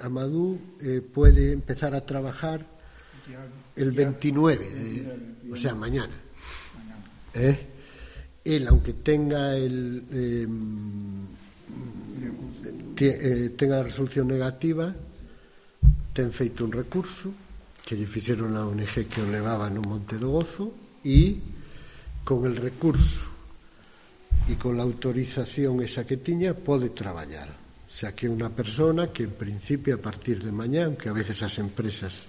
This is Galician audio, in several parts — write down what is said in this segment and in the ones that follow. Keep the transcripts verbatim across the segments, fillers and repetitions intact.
Amadou eh, puede empezar a trabajar el veintinueve, eh, o sea, mañana. ¿Eh? Él, aunque tenga el eh, eh, tenga la resolución negativa, ten feito un recurso que lle fixeron a O N G que o levaba no Monte do Gozo, e con el recurso e con la autorización esa que tiña pode traballar. O sea, que é unha persona que en principio a partir de mañá, aunque a veces as empresas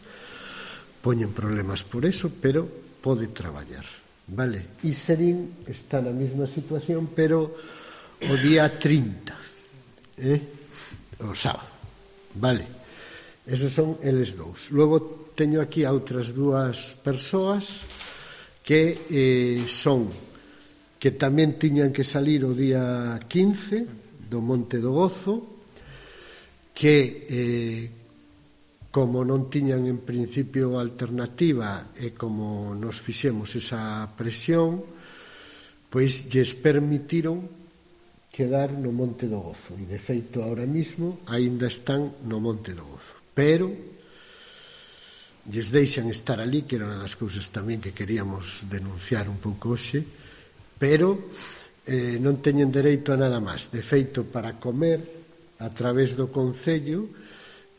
poñen problemas por eso, pero pode traballar, vale? E Serín está na mesma situación, pero o día trinta, eh? o sábado, vale? Esos son eles dous. Logo teño aquí a outras dúas persoas que eh, son que tamén tiñan que salir o día quince do Monte do Gozo, que eh, como non tiñan en principio alternativa e como nos fixemos esa presión, pois lles permitiron quedar no Monte do Gozo, e de feito ahora mismo aínda están no Monte do Gozo, pero lles deixan estar ali, que era unha das cousas tamén que queríamos denunciar un pouco hoxe, pero eh, non teñen dereito a nada máis. De feito, para comer a través do Concello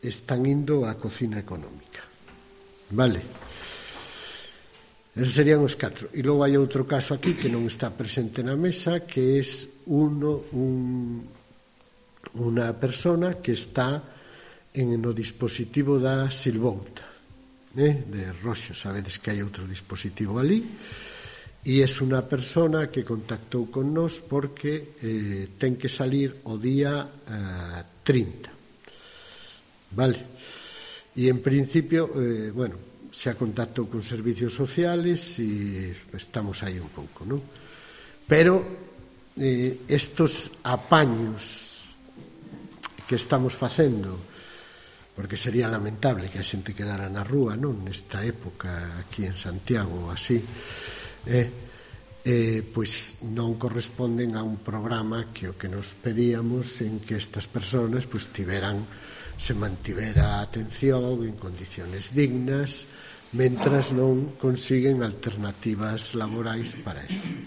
están indo á cocina económica, vale? Esos serían os catro. E logo hai outro caso aquí que non está presente na mesa, que é uno, un, unha persona que está en no dispositivo da Silvouta, eh? de Roxo. Sabedes que hai outro dispositivo ali, e é unha persona que contactou con nós porque eh, ten que salir o día eh, trinta, vale? E en principio, eh, bueno, xa contactou con servicios sociales e estamos aí un pouco, non? Pero eh, estos apaños que estamos facendo, porque sería lamentable que a xente quedara na rúa, non? Nesta época aquí en Santiago ou así, eh, eh, pois non corresponden a un programa que o que nos pedíamos en que estas persoas pois tiveran, se mantivera a atención en condiciones dignas mentras non consiguen alternativas laborais para eso.